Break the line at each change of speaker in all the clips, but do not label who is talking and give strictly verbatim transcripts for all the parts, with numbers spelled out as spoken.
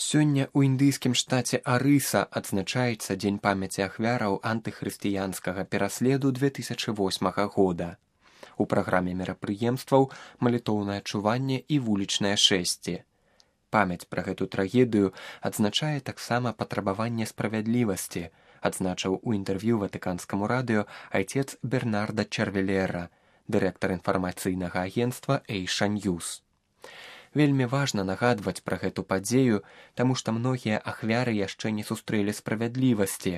Сёння ў індыйскім штаце Арыса адзначаецца дзень памяці ахвяраў антыхрысціянскага пераследу две тысячы восьмага года. У праграме мерапрыемстваў малітоўнае чуванне і вулічнае шэсце. Памяць пра гэту трагедыю адзначае таксама патрабаванне справядлівасці, адзначыў у інтэрв'ю ватыканскаму радыё айцец Бернарда Чарвелера, дырэктар інфармацыйнага агенцтва Эйша Ньюс. Вельмі важна нагадваць пра гэту падзею, таму што многія ахвяры яшчэ не сустрэлі справядлівасці,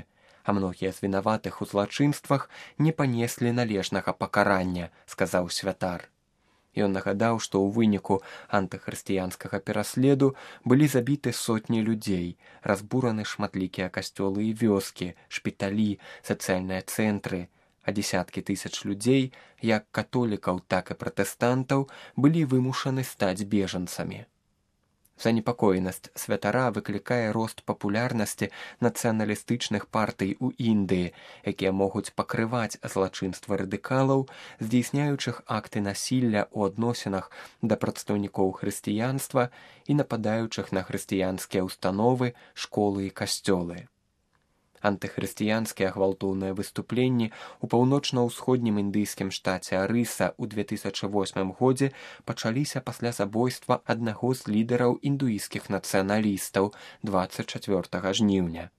а многія з вінаватых у злачынствах не панеслі належнага пакарання, сказаў святар. Ён нагадаў, што ў выніку антыхрысціянскага пераследу былі забіты сотні людзей, разбураны шматлікія касцёлы і вёскі, шпіталі, сацыяльныя цэнтры, а дзесяткі тысяч людзей, як католікаў, так і пратэстантаў, былі вымушаны стаць бежанцамі. Занепакоенасць святара выклікае рост папулярнасці нацыяналістычных партый у Індыі, якія могуць пакрываць злачынства радыкалаў, здзейсняючых акты насілля ў адносінах да прадстаўнікоў хрысціянства і нападаючых на хрысціянскія ўстановы, школы і касцёлы. Антыхрысціянскія гвалтоўныя выступленні ў паўночна-ўсходнім індыйскім штаце Арыса ў две тысячы восьмым годзе пачаліся пасля забойства аднаго з лідараў індуісцкіх нацыяналістаў дваццаць чацвёртага жніўня.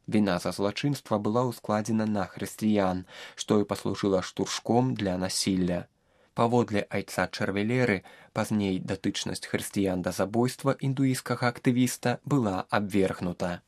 Віна за злачынства была ўскладзена на хрысціян, што і паслужыла штуршком для насілля. Паводле айца Чарвелеры, пазней датычнасць хрысціян да забойства індуісцкага актывіста была абвергнута.